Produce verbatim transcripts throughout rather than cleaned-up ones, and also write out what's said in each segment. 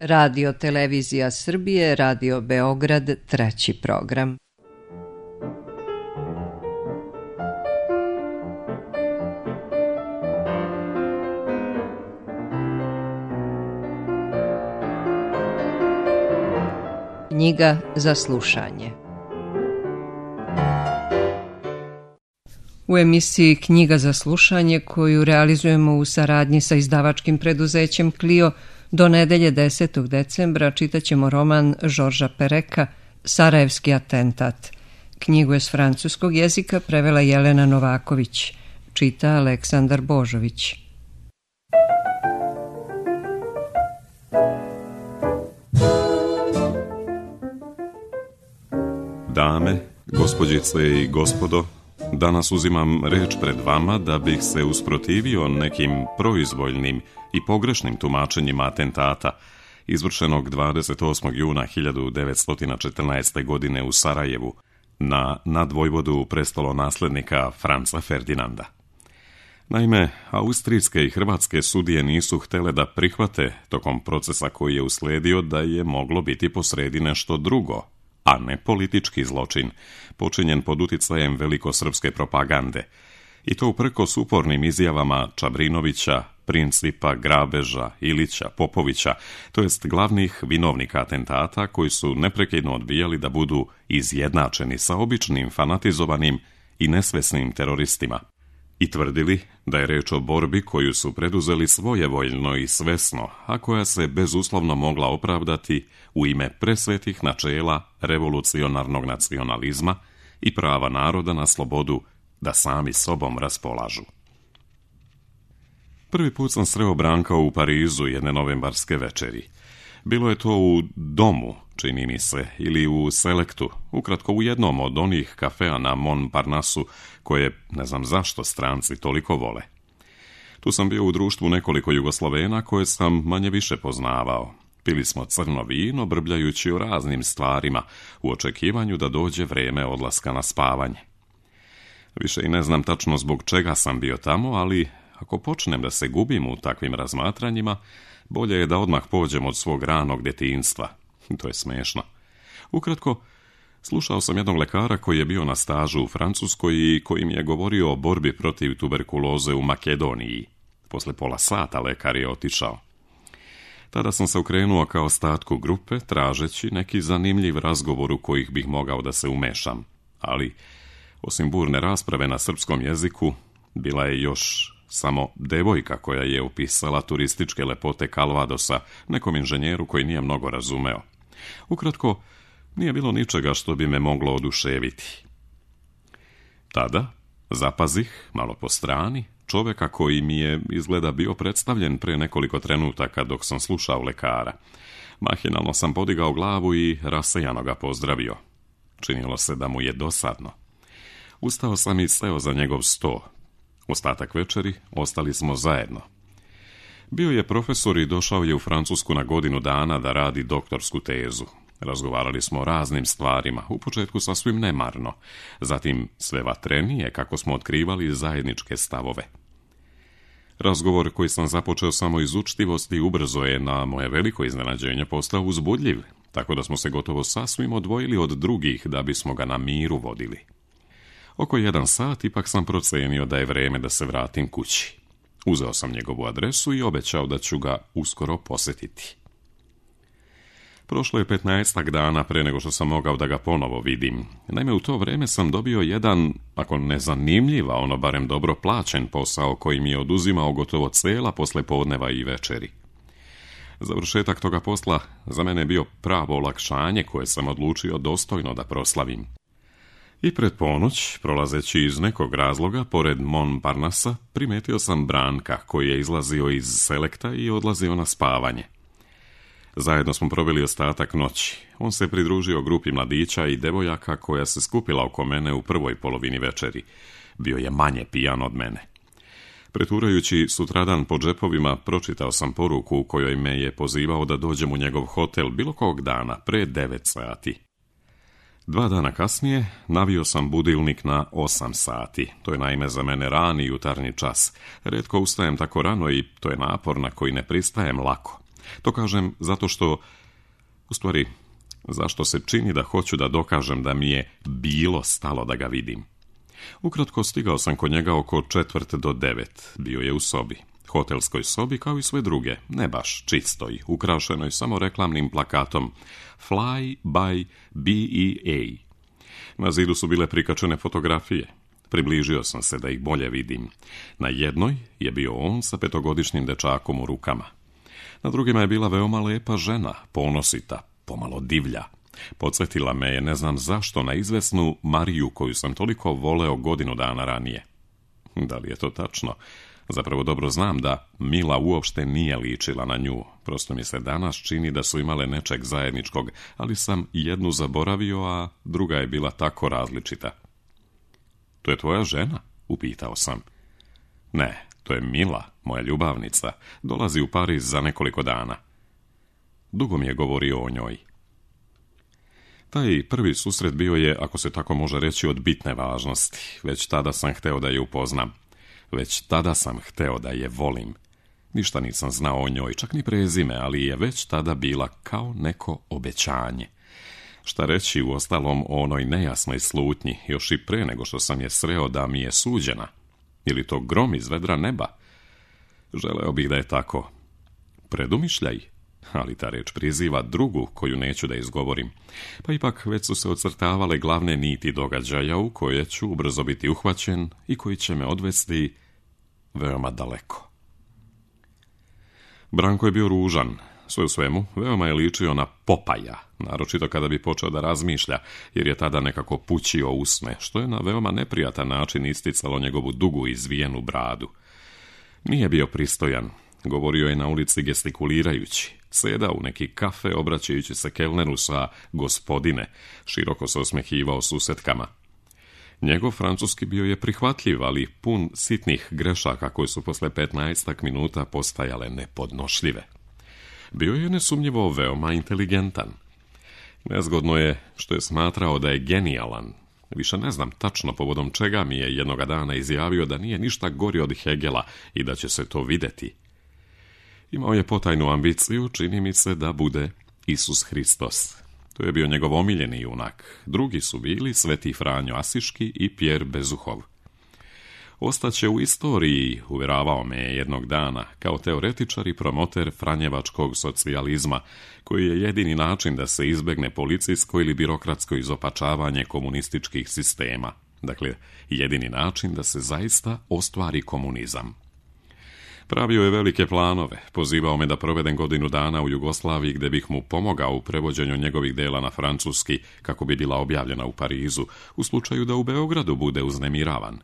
Radio Televizija Srbije, Radio Beograd, treći program. Knjiga za slušanje. U emisiji Knjiga za slušanje, koju realizujemo u saradnji sa izdavačkim preduzećem Clio, do nedelje desetog decembra čitat ćemo roman Žorža Pereka Sarajevski atentat. Knjigu je s francuskog jezika prevela Jelena Novaković. Čita Aleksandar Božović. Dame, gospođice i gospodo, danas uzimam reč pred vama da bih se usprotivio nekim proizvoljnim i pogrešnim tumačenjima atentata izvršenog dvadeset osmog juna hiljadu devetsto četrnaeste. godine u Sarajevu na nadvojvodu prestolonaslednika Franca Ferdinanda. Naime, austrijske i hrvatske sudije nisu htjele da prihvate tokom procesa koji je uslijedio da je moglo biti posredi nešto drugo, a ne politički zločin, počinjen pod uticajem velikosrpske propagande, i to uprkos upornim izjavama Čabrinovića, Principa, Grabeža, Ilića, Popovića, to jest glavnih vinovnika atentata koji su neprekidno odbijali da budu izjednačeni sa običnim, fanatizovanim i nesvesnim teroristima i tvrdili da je reč o borbi koju su preduzeli svojevoljno i svesno, a koja se bezuslovno mogla opravdati u ime presvetih načela revolucionarnog nacionalizma i prava naroda na slobodu da sami sobom raspolažu. Prvi put sam sreo Branka u Parizu jedne novembarske večeri. Bilo je to u Domu, čini mi se, ili u Selektu, ukratko u jednom od onih kafea na Montparnasu koje, ne znam zašto, stranci toliko vole. Tu sam bio u društvu nekoliko Jugoslovena koje sam manje više poznavao. Pili smo crno vino, brbljajući o raznim stvarima, u očekivanju da dođe vrijeme odlaska na spavanje. Više i ne znam tačno zbog čega sam bio tamo, ali ako počnem da se gubim u takvim razmatranjima, bolje je da odmah pođem od svog ranog djetinjstva. To je smiješno. Ukratko, slušao sam jednog lekara koji je bio na stažu u Francuskoj i koji mi je govorio o borbi protiv tuberkuloze u Makedoniji. Posle pola sata lekar je otišao. Tada sam se okrenuo kao ostatku grupe, tražeći neki zanimljiv razgovor u kojih bih mogao da se umešam. Ali, osim burne rasprave na srpskom jeziku, bila je još samo devojka koja je opisala turističke lepote Kalvadosa nekom inženjeru koji nije mnogo razumeo. Ukratko, nije bilo ničega što bi me moglo oduševiti. Tada zapazih, malo po strani, čoveka koji mi je izgleda bio predstavljen pre nekoliko trenutaka dok sam slušao lekara. Mahinalno sam podigao glavu i rasejano ga pozdravio. Činilo se da mu je dosadno. Ustao sam i seo za njegov sto. Ostatak večeri ostali smo zajedno. Bio je profesor i došao je u Francusku na godinu dana da radi doktorsku tezu. Razgovarali smo o raznim stvarima, u početku sasvim nemarno, zatim sve vatrenije kako smo otkrivali zajedničke stavove. Razgovor koji sam započeo samo iz učtivosti ubrzo je na moje veliko iznenađenje postao uzbudljiv, tako da smo se gotovo sasvim odvojili od drugih da bismo ga na miru vodili. Oko jedan sat ipak sam procenio da je vrijeme da se vratim kući. Uzeo sam njegovu adresu i obećao da ću ga uskoro posjetiti. Prošlo je petnaestak dana pre nego što sam mogao da ga ponovo vidim. Naime, u to vrijeme sam dobio jedan, ako ne zanimljiv, a ono barem dobro plaćen posao koji mi je oduzimao gotovo cela poslepodneva i večeri. Završetak toga posla za mene je bio pravo olakšanje koje sam odlučio dostojno da proslavim. I pred ponoć, prolazeći iz nekog razloga pored Montparnasa, primetio sam Branka koji je izlazio iz Selekta i odlazio na spavanje. Zajedno smo proveli ostatak noći. On se pridružio grupi mladića i devojaka koja se skupila oko mene u prvoj polovini večeri. Bio je manje pijan od mene. Preturajući sutradan po džepovima, pročitao sam poruku u kojoj me je pozivao da dođem u njegov hotel bilo kog dana pre devet sati. Dva dana kasnije navio sam budilnik na osam sati. To je naime za mene rani jutarnji čas. Retko ustajem tako rano i to je napor na koji ne pristajem lako. To kažem zato što, u stvari, zašto se čini da hoću da dokažem da mi je bilo stalo da ga vidim. Ukratko, stigao sam kod njega oko četvrt do devet. Bio je u sobi. Hotelskoj sobi kao i sve druge, ne baš čistoj, ukrašenoj samo reklamnim plakatom Fly by B E A. Na zidu su bile prikačene fotografije. Približio sam se da ih bolje vidim. Na jednoj je bio on sa petogodišnjim dečakom u rukama. Na drugima je bila veoma lepa žena, ponosita, pomalo divlja. Podsjetila me je, ne znam zašto, na izvesnu Mariju koju sam toliko voleo godinu dana ranije. Da li je to tačno? Zapravo dobro znam da Mila uopšte nije ličila na nju. Prosto mi se danas čini da su imale nečeg zajedničkog, ali sam jednu zaboravio, a druga je bila tako različita. To je tvoja žena? Upitao sam. Ne, to je Mila, moja ljubavnica. Dolazi u Pariz za nekoliko dana. Dugo mi je govorio o njoj. Taj prvi susret bio je, ako se tako može reći, od bitne važnosti. Već tada sam hteo da je upoznam. Već tada sam hteo da je volim. Ništa nisam znao o njoj, čak ni prezime, ali je već tada bila kao neko obećanje. Šta reći u ostalom o onoj nejasnoj slutnji, još i pre nego što sam je sreo da mi je suđena. Ili to grom iz vedra neba? Želeo bih da je tako. Predumišljaj, ali ta reč priziva drugu koju neću da izgovorim. Pa ipak već su se ocrtavale glavne niti događaja u koje ću ubrzo biti uhvaćen i koji će me odvesti veoma daleko. Branko je bio ružan. Sve u svemu, veoma je ličio na Popaja, naročito kada bi počeo da razmišlja, jer je tada nekako pućio usne, što je na veoma neprijatan način isticalo njegovu dugu izvijenu bradu. Nije bio pristojan, govorio je na ulici gestikulirajući, sedao u neki kafe obraćajući se kelneru sa gospodine, široko se osmehivao susetkama. Njegov francuski bio je prihvatljiv, ali pun sitnih grešaka koje su posle petnaestak minuta postajale nepodnošljive. Bio je nesumnjivo veoma inteligentan. Nezgodno je što je smatrao da je genijalan. Više ne znam tačno povodom čega mi je jednoga dana izjavio da nije ništa gori od Hegela i da će se to videti. Imao je potajnu ambiciju, čini mi se, da bude Isus Hristos. To je bio njegov omiljeni junak. Drugi su bili Sveti Franjo Asiški i Pjer Bezuhov. Ostaće u istoriji, uvjeravao me je jednog dana, kao teoretičar i promoter franjevačkog socijalizma, koji je jedini način da se izbegne policijsko ili birokratsko izopačavanje komunističkih sistema. Dakle, jedini način da se zaista ostvari komunizam. Pravio je velike planove, pozivao me da provedem godinu dana u Jugoslaviji gdje bih mu pomogao u prevođenju njegovih dela na francuski kako bi bila objavljena u Parizu, u slučaju da u Beogradu bude uznemiravan.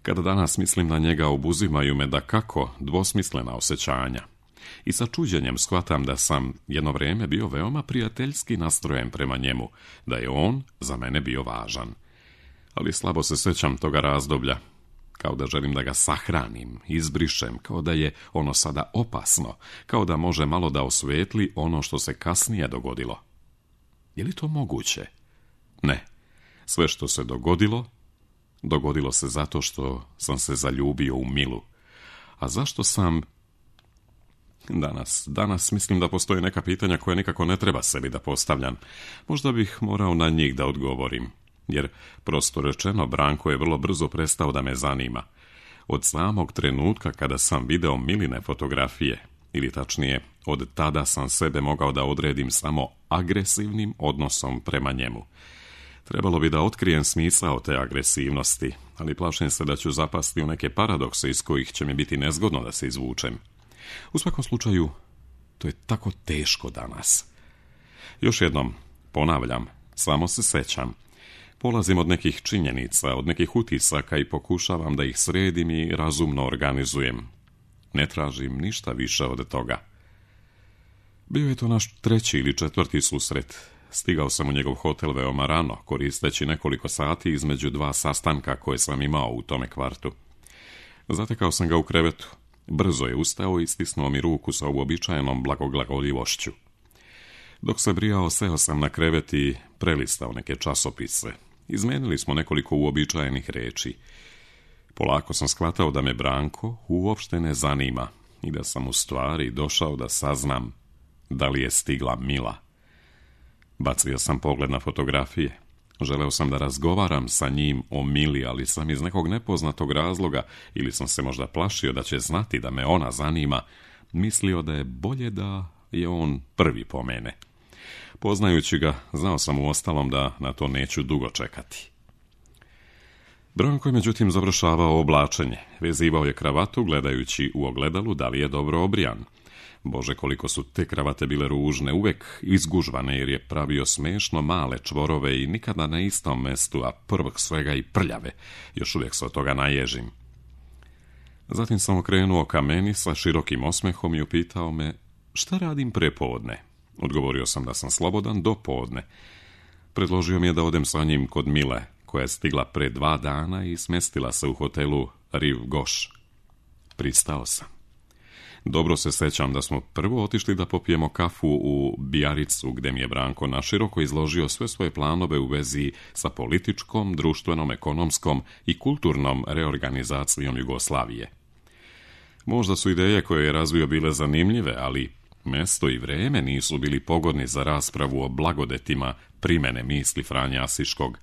Kada danas mislim na njega, obuzimaju me da kako dvosmislena osjećanja. I sa čuđenjem shvatam da sam jedno vrijeme bio veoma prijateljski nastrojen prema njemu, da je on za mene bio važan. Ali slabo se sjećam toga razdoblja, kao da želim da ga sahranim, izbrišem, kao da je ono sada opasno, kao da može malo da osvetli ono što se kasnije dogodilo. Je li to moguće? Ne. Sve što se dogodilo, dogodilo se zato što sam se zaljubio u Milu. A zašto sam... Danas, danas mislim da postoje neka pitanja koje nikako ne treba sebi da postavljam. Možda bih morao na njih da odgovorim. Jer, prosto rečeno, Branko je vrlo brzo prestao da me zanima. Od samog trenutka kada sam video Miline fotografije, ili tačnije, od tada sam sebe mogao da odredim samo agresivnim odnosom prema njemu. Trebalo bi da otkrijem smisao te agresivnosti, ali plašim se da ću zapasti u neke paradokse iz kojih će mi biti nezgodno da se izvučem. U svakom slučaju, to je tako teško danas. Još jednom, ponavljam, samo se sećam. Polazim od nekih činjenica, od nekih utisaka i pokušavam da ih sredim i razumno organizujem. Ne tražim ništa više od toga. Bio je to naš treći ili četvrti susret. Stigao sam u njegov hotel veoma rano, koristeći nekoliko sati između dva sastanka koje sam imao u tome kvartu. Zatekao sam ga u krevetu. Brzo je ustao i stisnuo mi ruku sa uobičajenom blagoglagoljivošću. Dok se brijao, seo sam na krevet i prelistao neke časopise. Izmenili smo nekoliko uobičajenih reči. Polako sam shvatao da me Branko uopšte ne zanima, i da sam u stvari došao da saznam da li je stigla Mila. Bacio sam pogled na fotografije. Želeo sam da razgovaram sa njim o Mili, ali sam iz nekog nepoznatog razloga, ili sam se možda plašio da će znati da me ona zanima, mislio da je bolje da je on prvi pomene. Poznajući ga, znao sam uostalom da na to neću dugo čekati. Branko je međutim završavao oblačenje. Vezivao je kravatu gledajući u ogledalu da li je dobro obrijan. Bože, koliko su te kravate bile ružne, uvek izgužvane jer je pravio smešno male čvorove i nikada na istom mestu, a prvog svega i prljave. Još uvijek se od toga naježim. Zatim sam okrenuo ka meni sa širokim osmehom i upitao me šta radim prepodne. Odgovorio sam da sam slobodan do podne. Predložio mi je da odem sa njim kod Mile, koja je stigla pre dva dana i smestila se u hotelu Rive Gauche. Pristao sam. Dobro se sećam da smo prvo otišli da popijemo kafu u Bijaricu, gde mi je Branko naširoko izložio sve svoje planove u vezi sa političkom, društvenom, ekonomskom i kulturnom reorganizacijom Jugoslavije. Možda su ideje koje je razvio bile zanimljive, ali mesto i vreme nisu bili pogodni za raspravu o blagodetima primene misli Franje Asiškog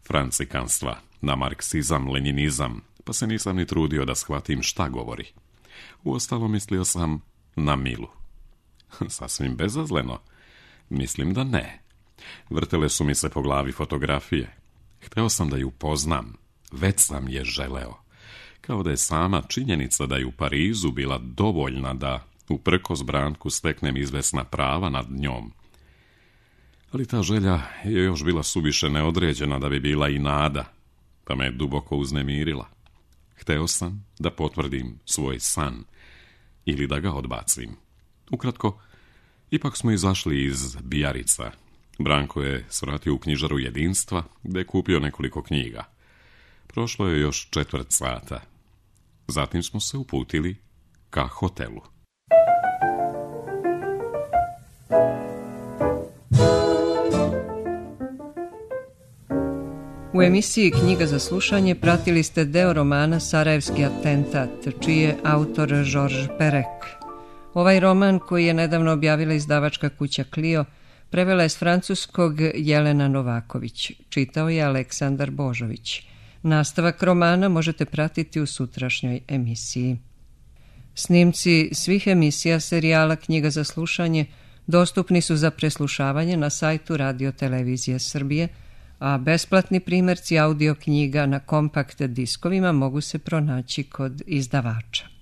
francikanstva na marksizam, lenjinizam, pa se nisam ni trudio da shvatim šta govori. Uostalom mislio sam na Milu. Sasvim bezazleno. Mislim da ne. Vrtele su mi se po glavi fotografije. Hteo sam da ju poznam. Već sam je želeo. Kao da je sama činjenica da je u Parizu bila dovoljna da uprkos Branku steknem izvesna prava nad njom. Ali ta želja je još bila suviše neodređena da bi bila i nada, pa me je duboko uznemirila. Hteo sam da potvrdim svoj san ili da ga odbacim. Ukratko, ipak smo izašli iz Bijarica. Branko je svratio u knjižaru Jedinstva, gde je kupio nekoliko knjiga. Prošlo je još četvrt sata. Zatim smo se uputili ka hotelu. U emisiji Knjiga za slušanje pratili ste deo romana Sarajevski atentat, čiji je autor Georges Perec. Ovaj roman, koji je nedavno objavila izdavačka kuća Clio, prevela je s francuskog Jelena Novaković. Čitao je Aleksandar Božović. Nastavak romana možete pratiti u sutrašnjoj emisiji. Snimci svih emisija serijala Knjiga za slušanje dostupni su za preslušavanje na sajtu Radio Televizije Srbije, a besplatni primjerci audio knjiga na kompakt diskovima mogu se pronaći kod izdavača.